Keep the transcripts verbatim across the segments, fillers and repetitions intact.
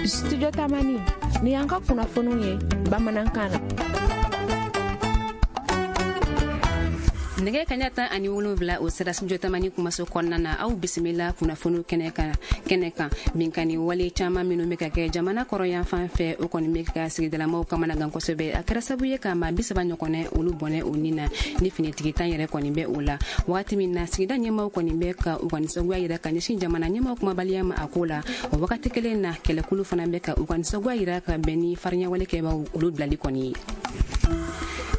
Studio Tamani, ni y'an ka kunnafoniw ye bamanankan na. Nɛgɛ kaɲa tan ani wolonwula o sera Studio Tamani kumaso kɔnɔna na. Aw bisimila kunnafoniw kɛnɛ kan kɛnɛ kan Binkani wale caman minnu bɛ ka kɛ jamana kɔrɔyan fan fɛ, o kɔni bɛ ka sigidalamaw kamanagan kosɛbɛ. A kɛra sababu ye ka maa bi saba ɲɔgɔnɛ olu bɔnɛ o ni na, ni finitigi tan yɛrɛ kɔni bɛ o la. Wagati min na sigida ɲɛmaaw kɔni bɛ ka u ka nisɔngoya yira ka ɲɛsin jamana ɲɛmaaw kumabaliya ma a ko la, o wagati kelen na kɛlɛkulu fana bɛ ka u ka nisɔngoya yira ka bɛn ni farinyawale kɛbaaw olu bilali kɔni ye.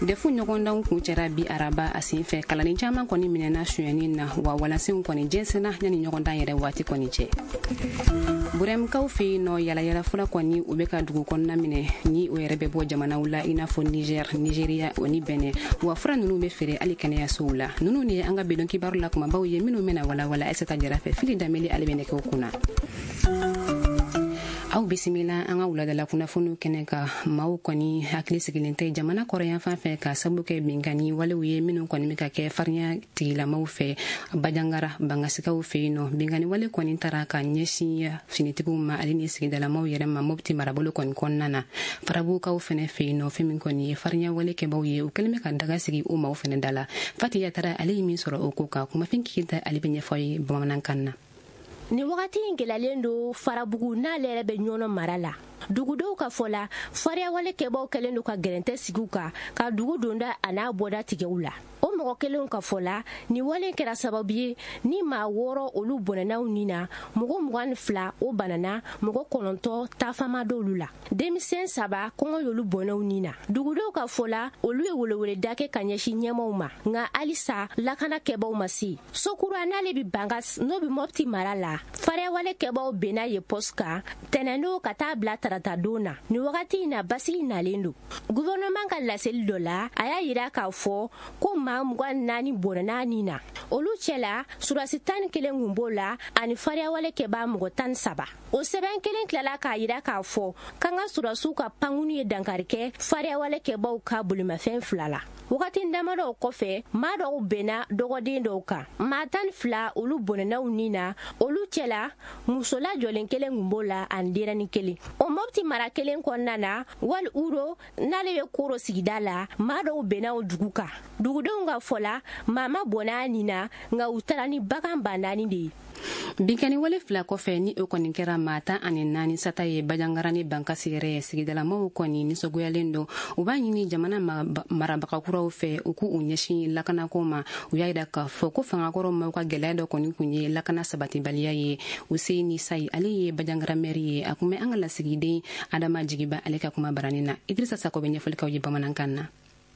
Defu ɲɔgɔndanw kuncɛra bi araba a sen fɛ. Kalanden caman kɔni minɛna sonyɛni na, wa walansenw kɔni jɛnsɛnna yanni ɲɔgɔndan yɛrɛ waati kɔni cɛ. Burɛmkaw fɛ yen nɔ, yalayala fura kɔni u bɛ ka dugu kɔnɔna minɛ, ni o yɛrɛ bɛ bɔ jamanaw la i n'a fɔ Niger, Nigeria o ni Benin. Wa fura ninnu bɛ feere hali kɛnɛyasow la. Ninnu de ye an ka bidon kibaru la kumabaw ye minnu bɛna walawala Aïssata Jara fɛ. Fili Danbele ale bɛ nɛgɛw kunna. Aw bisimila an ka wuladala kunnafoniw kɛnɛ kan. Maaw kɔni hakili sigilen tɛ jamana kɔrɔyan fan fɛ ka sababu kɛ binkani walew ye minnu kɔni bɛ ka kɛ farinya tigilamaw fɛ Bajangara Bangasikaw fɛ yen nɔ. Binkani wale kɔni taara ka ɲɛsin finitigiw ma ale ni sigidalamaw yɛrɛ ma Mopti marabolo kɔni kɔnɔna na. Farabukaw fɛnɛ fɛ yen nɔ, fɛn min kɔni ye farinya wale kɛbaw ye, u kɛlen bɛ ka daga sigi o maaw fɛnɛ da la. Fati Yatara ale ye min sɔrɔ o ko kan, kumafin kiyita ale bɛ ɲɛfɔ ye bamanankan na. Nin wagati in gɛlɛyalen don Farabugu n'ale yɛrɛ bɛ Ɲɔnɔ mara la. Dugudenw ka fɔ la, fariyawale kɛbaw kɛlen don ka gɛrɛntɛ sigi u kan ka dugu donda a n'a bɔda tigɛ u la. O mɔgɔ kelenw ka fɔ la, nin wale kɛra sababu ye ni maa wɔɔrɔ olu bɔnɛnaw ni na, mɔgɔ mugan ni fila o banana, mɔgɔ kɔnɔntɔn taafama d'olu la. Denmisɛn saba kɔngɔ y'olu bɔnɛw ni na. Dugudenw ka fɔ la, olu ye weleweleda kɛ ka ɲɛsin ɲɛmaw ma, nka halisa lakana kɛbaw ma se. Sokura n'ale bɛ Bangas n'o bɛ Mopti mara la, fariyawale kɛbaw benna ye poste kan tɛnɛndon ka taa bila tarata don na. Nin wagati in na basigi nalen don. Gouvernement ka laseli dɔ la, a y'a yira k'a fɔ ko maa mugan naani bɔnɛna ni na. Olu cɛla surasi tan ni kelen kun b'o la ani fariyawale kɛbaa mɔgɔ tan ni saba. O sɛbɛn kelen tilala k'a yira k'a fɔ k'an ka surasiw ka pankunu ye dankari kɛ fariyawale kɛbaw ka bolimafɛn fila la. Wagati damadɔw kɔfɛ, maa dɔw bɛnna dɔgɔden dɔw kan. Maa tan ni fila olu bɔnɛnaw ni na. Olu cɛla muso lajɔlen kelen kun b'o la ani denyɛrɛnin kelen. O Mopti mara kelen kɔnɔna na, Wali Uro n'ale bɛ Koro sigida la, maa dɔw bɛnna o dugu kan. Dugudenw ka fɔ la, maa ma bɔnɛ a ni na, nka u taara ni bagan ba naani de ye. Binkani wale fila kɔfɛ ni o kɔni kɛra maa tan ani naani sata ye Bajangara ni Bankasi yɛrɛ ye, sigidalamaw kɔni nisɔngoyalen don. U b'a ɲini jamana marabaga kuraw fɛ u k'u ɲɛsin lakanako ma. U y'a yira k'a fɔ ko fangakɔrɔ maaw ka gɛlɛya dɔ kɔni kun ye lakana sabatibaliya ye. Useyini Sayi ale ye Bajangara mɛri ye, a kun bɛ an ka lasigiden Adama Jigiba ale ka kuma baranin na. Idrissa Sako bɛ ɲɛfɔli k'aw ye bamanankan na.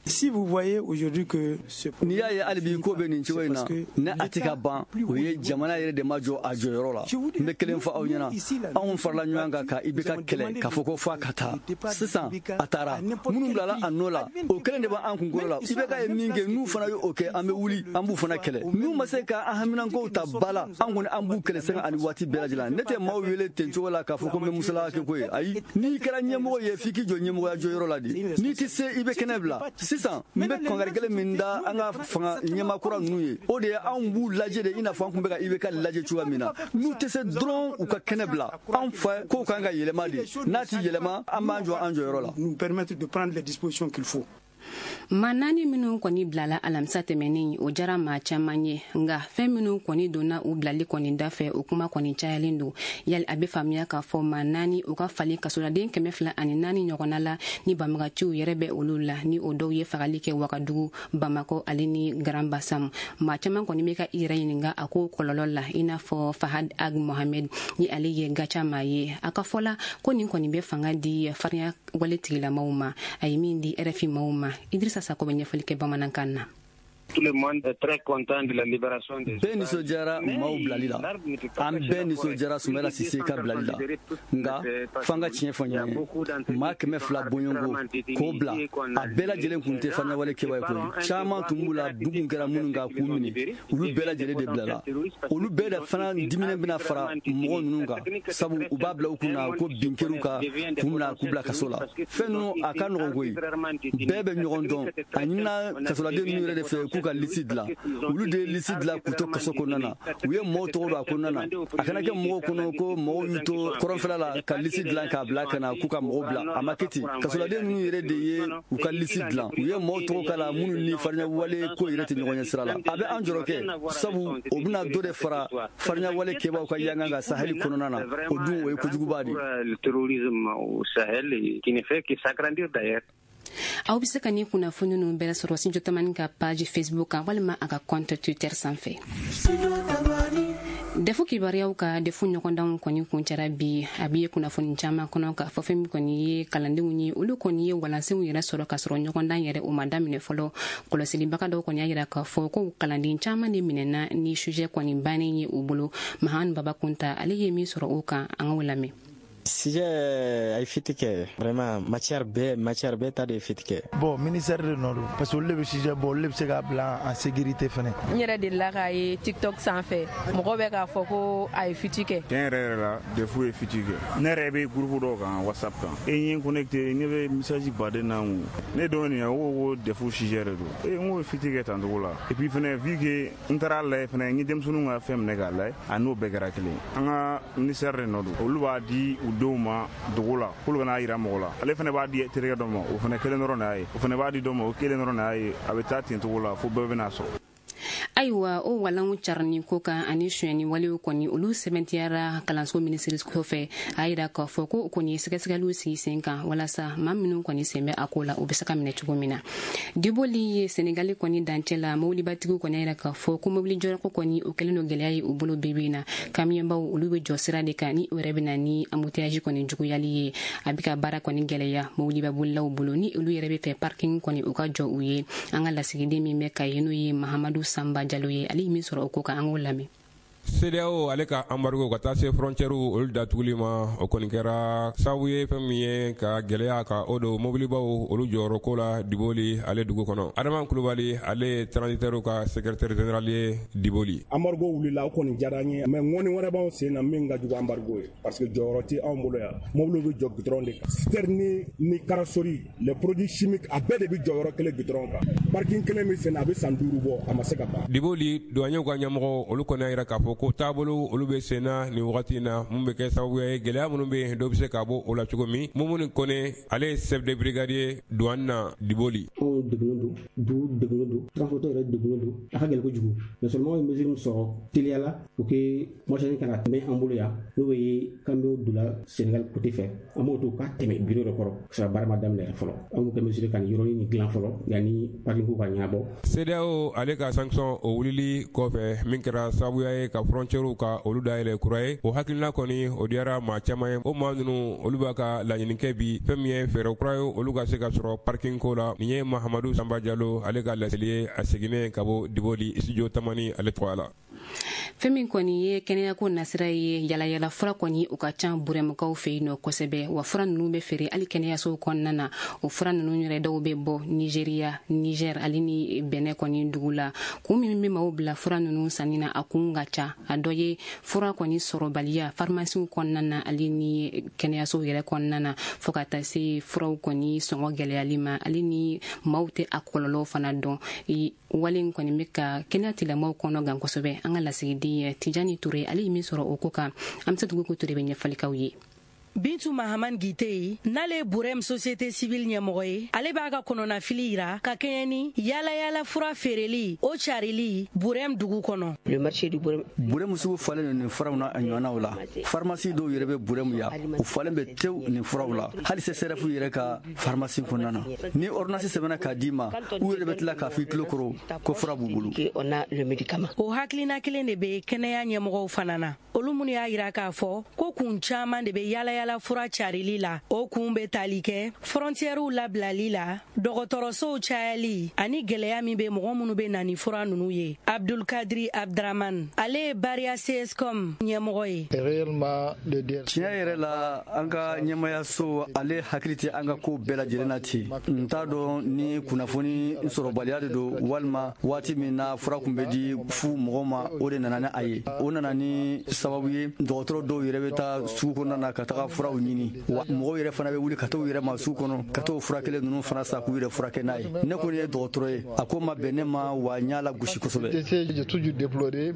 Si vous voyez aujourd'hui que ce n'i y'a ye hali bi ko bɛ nin cogo in na, ne a tɛ ka ban, o ye jamana yɛrɛ de ma jɔ a jɔyɔrɔ la. N bɛ kelen fɔ aw ɲɛna, anw farala ɲɔgɔn kan ka I B K kɛlɛ k'a fɔ ko f'a ka taa. Sisan a taara, minnu bilala a nɔ la, o kelen de b'an kunkolo la. I B K ye min kɛ, n'u fana ye o kɛ, an bɛ wuli an b'u fana kɛlɛ. N'u ma se ka an haminankow ta ba la, an kɔni an b'u kɛlɛ sanga ani waati bɛɛ lajɛlen. Ne tɛ maaw wele ten cogo la k'a fɔ ko n bɛ musalaka kɛ ko ye. Ayi, n'i kɛra ɲɛmɔgɔ ye, f'i k'i jɔ ɲɛmɔgɔya jɔyɔrɔ la de. N'i tɛ se, i bɛ kɛnɛ bila. Sisan n bɛ kɔnkari kelen min da an ka fanga ɲɛmaa kura ninnu ye, o de ye anw b'u lajɛ de i n'a fɔ an tun bɛ ka I B K lajɛ cogoya min na. N'u tɛ se dɔrɔn u ka kɛnɛ bila. Anw fɛ kow kan ka yɛlɛma de, n'a ti yɛlɛma an b'an jɔ an jɔyɔrɔ la. Nous permettre de prendre les dispositions qu'il faut. Maa naani minnu kɔni bilala alamisa tɛmɛnen, o jara maa caman ye, nka fɛn minnu kɔni donna u bilali kɔni dafɛ, o kuma kɔni cayalen don. Yali a bɛ faamuya k'a fɔ maa naani u ka falen kasoladen kɛmɛ fila ani naani ɲɔgɔnna la, ni banbagaciw yɛrɛ bɛ olu la, ni o dɔw ye fagali kɛ Wagadugu, Bamakɔ ale ni Grand Bassam. Maa caman kɔni bɛ ka i yɛrɛ ɲininka a ko kɔlɔlɔ la, i n'a fɔ Fahad Ag Mohamed ni ale ye Gacha maa ye. A ka fɔ la ko nin kɔni bɛ fanga di farinya wale tigilamaw ma, a ye min di R F I maaw ma. Idrissa Sako bɛ ɲɛfɔli kɛ bamanankan na. Tout le monde est très content de la libération des Bɛɛ nisɔndiyara maaw bilali la, an bɛɛ nisɔndiyara Soumaïla Cissé ka bilali la, nka f'an ka tiɲɛ fɔ ɲɔgɔn ye, maa kɛmɛ fila bɔɲɔgɔnko k'o bila, a bɛɛ lajɛlen kun tɛ farinyawale kɛba ye koyi. Caman tun b'u la, dugu kun kɛra minnu kan k'u minɛ, olu bɛɛ lajɛlen de bilala. Olu bɛɛ de fana diminen bɛna fara mɔgɔ ninnu kan, sabu u b'a bila u kunna ko bin kɛr'u kan k'u minɛ k'u bila kaso la. Fɛn ninnu a ka nɔgɔn koyi, bɛɛ bɛ ɲɔgɔn dɔn. A ɲinina kasoladen ninnu yɛrɛ de fɛ k'u ka lisi dilan. Olu de ye lisi dilan k'u to kaso kɔnɔna na. U ye mɔgɔw tɔgɔ don a kɔnɔna na. A kana kɛ mɔgɔw kɔnɔ ko mɔgɔw y'u to kɔrɔnfɛla la ka lisi dilan k'a bila ka na k'u ka mɔgɔw bila. A ma kɛ ten. Kasoladen ninnu yɛrɛ de ye u ka lisi dilan. U ye mɔgɔw tɔgɔ k'a la minnu ni farinyawale ko yɛrɛ tɛ ɲɔgɔn ɲɛ sira la. A bɛ an jɔrɔ kɛ, sabu o bɛna dɔ de fara farinyawale kɛbaaw ka yangan kan Sahel kɔnɔna na. O dun o ye kojuguba de ye. Aw bɛ se ka nin kunnafoni ninnu bɛɛ sɔrɔ Studio Tamani ka page Facebook kan walima a ka compte Twitter sanfɛ. Defu kibaruyaw ka defu ɲɔgɔndanw kɔni kuncɛra bi. A bɛ ye kunnafoni caman kɔnɔ k'a fɔ fɛn min kɔni ye kalandenw ye, olu kɔni ye walansenw yɛrɛ sɔrɔ k'a sɔrɔ ɲɔgɔndan yɛrɛ o ma daminɛ fɔlɔ. Kɔlɔsilibaga dɔw kɔni y'a yira k'a fɔ ko kalanden caman de minɛna ni sujet kɔni bannen ye u bolo. Mahan Baba Kunta ale ye min sɔrɔ o kan, an k'o lamɛn. Sujet a ye fuite kɛ, vraiment matière bɛɛ matière bɛɛ ta de ye fuite kɛ. Bon, ministère de nɔ don parce que olu de bɛ sujet bɔ, olu de bɛ se k'a bila en sécurité fɛnɛ. N yɛrɛ delila k'a ye TikTok sanfɛ, mɔgɔ bɛ k'a fɔ ko a ye fuite kɛ. Tiɲɛ yɛrɛ yɛrɛ la, DEF ye fuite kɛ. Ne yɛrɛ bɛ groupe dɔw kan WhatsApp kan. E ye n connecté, ne bɛ message baden na n kun. Ne dɔn nin ye, o ko ko DEF sujet de don. E n ko ye fuite kɛ tan cogo la. Et puis fɛnɛ vu que n taara lajɛ fɛnɛ, n ye denmisɛnninw ka fɛn minɛ k'a lajɛ, a n'o bɛɛ kɛra kelen. An ka ministère de nɔ don. Olu b'a di u denw ma dogo la, k'olu kana yira mɔgɔ la. Ale fana b'a di terikɛ dɔ ma, o fana kelen dɔrɔn de y'a ye. O fana b'a di dɔ ma, o kelen dɔrɔn de y'a ye. A bɛ taa ten cogo la fo bɛɛ bɛna sɔrɔ. Ayiwa, o walanw carinni ko kan ani sonyɛni walew kɔni olu sɛbɛntiyara kalanso minisiri kɔfɛ. A yira k'a fɔ ko o kɔni ye sɛgɛsɛgɛliw sigi sen kan walasa maa minnu kɔni sen bɛ a ko la, u bɛ se ka minɛ cogo min na. Diboli ye Senegali kɔni dancɛ la, mobilibatigiw kɔni y'a yira k'a fɔ ko mobili jɔyɔrɔko kɔni o kɛlen don gɛlɛya ye u bolo bi bi in na. Kamiyɔnbaw olu bɛ jɔ sira de kan, ni o yɛrɛ bɛ na ni embouteillage kɔni juguyali ye. A bɛ ka baara kɔni gɛlɛya mobilibabolilaw bolo, ni olu yɛrɛ bɛ fɛ parking kɔni u ka jɔ u ye. An ka lasigiden min bɛ Kayi, n'o ye Mahamadu Samba Jalo ye, ale ye min sɔrɔ o ko kan, an k'o lamɛn. CEDEAO ale ka embargo ka taa se frontière olu datuguli ma, o kɔni kɛra sababu ye fɛn min ye ka gɛlɛya ka o don mobilibaw olu jɔyɔrɔ ko la Diboli ale dugu kɔnɔ. Adama Kulubali ale ye transitaire ka secrétaire général ye Diboli. Embargo wulila, o kɔni diyara an ye, mais ŋɔni wɛrɛ b'anw sen na min ka jugu embargo ye, parce que jɔyɔrɔ tɛ anw bolo yan. Mobiliw bɛ jɔ goudron de kan, citerne ni carrosserie, les produits chimiques, a bɛɛ de bɛ jɔyɔrɔ kelen goudron kan. Parking kelen bɛ sen na, a bɛ san duuru bɔ, a ma se ka ban. Diboli douaniers ka ɲɛmɔgɔ olu kɔni y'a yira k'a fɔ ko taabolo olu bɛ sen na nin wagati in na, mun bɛ kɛ sababu ye gɛlɛya minnu bɛ yen dɔ bɛ se ka bɔ o la cogo min. Mumuni Kone ale ye chef de brigade ye douane na Diboli. Anw degunnen don, dugu degunnen don, transporteur yɛrɛ degunnen don, a ka gɛlɛn kojugu. Mais seulement ye mesure min sɔrɔ teliya la, o ke marchandise kana tɛmɛ an bolo yan, n'o ye camion donna Sénégal côté fɛ, an b'o to k'a tɛmɛ bureau yɛrɛ kɔrɔ, ka sɔrɔ baara ma daminɛ fɔlɔ. An b'o kɛ mesure ka nin yɔrɔnin nin dilan fɔlɔ yanni parking ko ka ɲɛnabɔ. CEDEAO ale ka sanction o wulili kɔfɛ, min kɛra sababuya ye ka frontière ka olu dayɛlɛ kura ye, o hakilina kɔni o diyara maa caman ye. O maa ninnu olu b'a ka laɲini kɛ bi fɛn min ye fɛɛrɛ kura ye olu ka se ka sɔrɔ parking ko la. Nin ye Mahamadu Sanba Jalo ale ka laseli ye, a seginnen ka bɔ Diboli studio Tamani ale tɔgɔ la. Fɛn min kɔni ye kɛnɛyako nasira ye, yalayala fura kɔni o ka ca Burɛmukaw fɛ yen nɔ kosɛbɛ. Wa fura ninnu bɛ feere hali kɛnɛyasow kɔnɔna na. O fura ninnu yɛrɛ dɔw bɛ bɔ Nigeriya, Niger ale ni Bɛnɛ kɔni dugu la. Kun min bɛ maaw bila fura ninnu sanni na, a kun ka ca. A dɔ ye fura kɔni sɔrɔbaliya farimasiw kɔnɔna na ale ni kɛnɛyasow yɛrɛ kɔnɔna na, fo ka taa se furaw kɔni sɔngɔ gɛlɛyali ma, ale ni maaw tɛ a kɔlɔlɔw fana dɔn. Wale in kɔni bɛ ka kɛnɛya tigilamɔgɔw kɔnɔ gan kosɛbɛ. An ka lasigiden ye Tijani Ture, ale ye min sɔrɔ o ko kan, an bɛ se dugu ko Ture bɛ ɲɛfɔli k'aw ye. Bintu Mahaman Gite, n'ale ye Burem société civile ɲɛmɔgɔ ye, ale b'a ka kɔnɔnafili yira ka kɛɲɛ ni yala yala fura feereli o carili Burem dugu kɔnɔ. Burem sugu falen don nin furaw na a ɲɔgɔnnaw la. Pharmacie dɔw yɛrɛ bɛ Burem yan, u falen bɛ tewu nin furaw la, hali C S R F yɛrɛ ka pharmacie kɔnɔna na. Ni ordonnance sɛbɛnna k'a d'i ma, u yɛrɛ bɛ tila k'a fɔ i tulo kɔrɔ ko fura b'u bolo. O hakilina kelen de bɛ kɛnɛya ɲɛmɔgɔw fana na, olu minnu y'a yira k'a fɔ ko kun caman de bɛ yala yala fura carili la. O kun bɛ tali kɛ frontièrew labilali la, dɔgɔtɔrɔsow cayali ani gɛlɛya min bɛ mɔgɔ minnu bɛ na ni fura ninnu ye. Abdulkadiri Abdraman, ale ye Baria C S C O M ɲɛmɔgɔ ye. Tiɲɛ yɛrɛ la, an ka ɲɛmayaso ale hakili tɛ an ka ko bɛɛ lajɛlen na ten. N t'a dɔn ni kunnafoni sɔrɔbaliya de don, walima waati min na fura kun bɛ di fu mɔgɔw ma, o de nana ni a ye. O nana ni sababu ye dɔgɔtɔrɔ dɔw yɛrɛ bɛ taa sugu kɔnɔna na ka taga furaw ɲini, wa mɔgɔw yɛrɛ fana bɛ wuli ka t'u yɛrɛ ma sugu kɔnɔ ka t'o fura kelen ninnu fana san k'u yɛrɛ furakɛ n'a ye. Ne kɔni ye dɔgɔtɔrɔ ye, a ko ma bɛn ne ma, wa n y'a lagosi kosɛbɛ.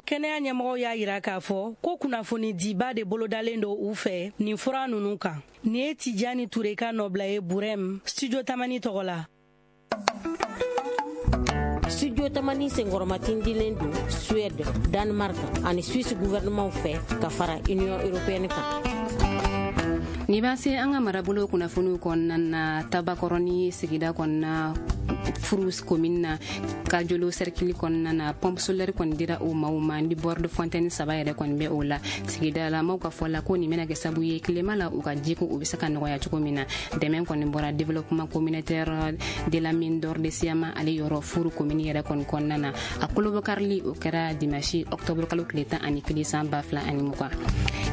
Kɛnɛya ɲɛmɔgɔw y'a yira k'a fɔ ko kunnafoni diba de bolodalen don u fɛ nin fura ninnu kan. Nin ye Tijani Ture ka nɔbila ye Burɛm, Studio Tamani tɔgɔ la. Studio Tamani senkɔrɔmatindilen don Suède, Danemark ani Suisse gouvernement fɛ ka fara Union européenne kan. Ni b'an se an ka marabolo kunnafoniw kɔnɔna na, Tabakɔrɔni sigida kɔnɔna, Furu commune na, Kajolo cercle kɔnɔna na, pompe solaire kɔni dira o maaw ma ni borne fontaine saba yɛrɛ kɔni bɛ o la. Sigida la maaw ka fɔ la ko nin bɛna kɛ sababu ye tilema la u ka jiko o bɛ se ka nɔgɔya cogo min na. Dɛmɛ kɔni bɔra développement communautaire de la mine d'or de Siyama ale yɔrɔ Furu commune yɛrɛ kɔni kɔnɔna na. A kolobɔkarili o kɛra dimanche octobre kalo tile tan ani kelen san ba fila ani mugan.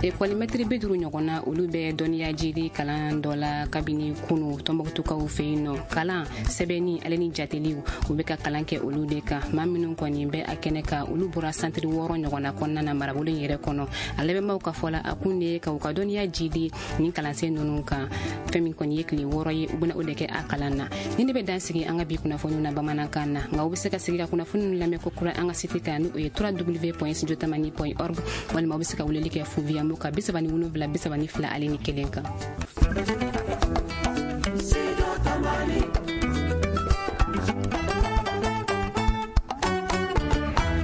Ekɔlimɛtiri bi duuru ɲɔgɔn na, olu bɛ dɔnniya jidi kalan dɔ la kabini kunu Tɔnbɔkutukaw fɛ yen nɔ. Kalan sɛbɛnni ale ni jateliw, u bɛ ka kalan kɛ olu de kan. Maa minnu kɔni bɛ a kɛnɛ kan, olu bɔra santiri wɔɔrɔ ɲɔgɔnna kɔnɔna na marabolo in yɛrɛ kɔnɔ. A labɛnbaw ka fɔ la, a kun de ye ka u ka dɔnniya jidi nin kalansen ninnu kan. Fɛn min kɔni ye tile wɔɔrɔ ye, u bɛna o de kɛ a kalan na. Ni ne bɛ dan sigi an ka bi kunnafoniw na bamanankan na, nka u bɛ se ka sigi ka kunnafoniw lamɛn ko kura an ka site kan, n'o ye w w w point studio tamani point org, walima u bɛ se ka weleli kɛ fu Viamo ka bi saba ni wolonwula bi saba ni fila ale ni kelen kan.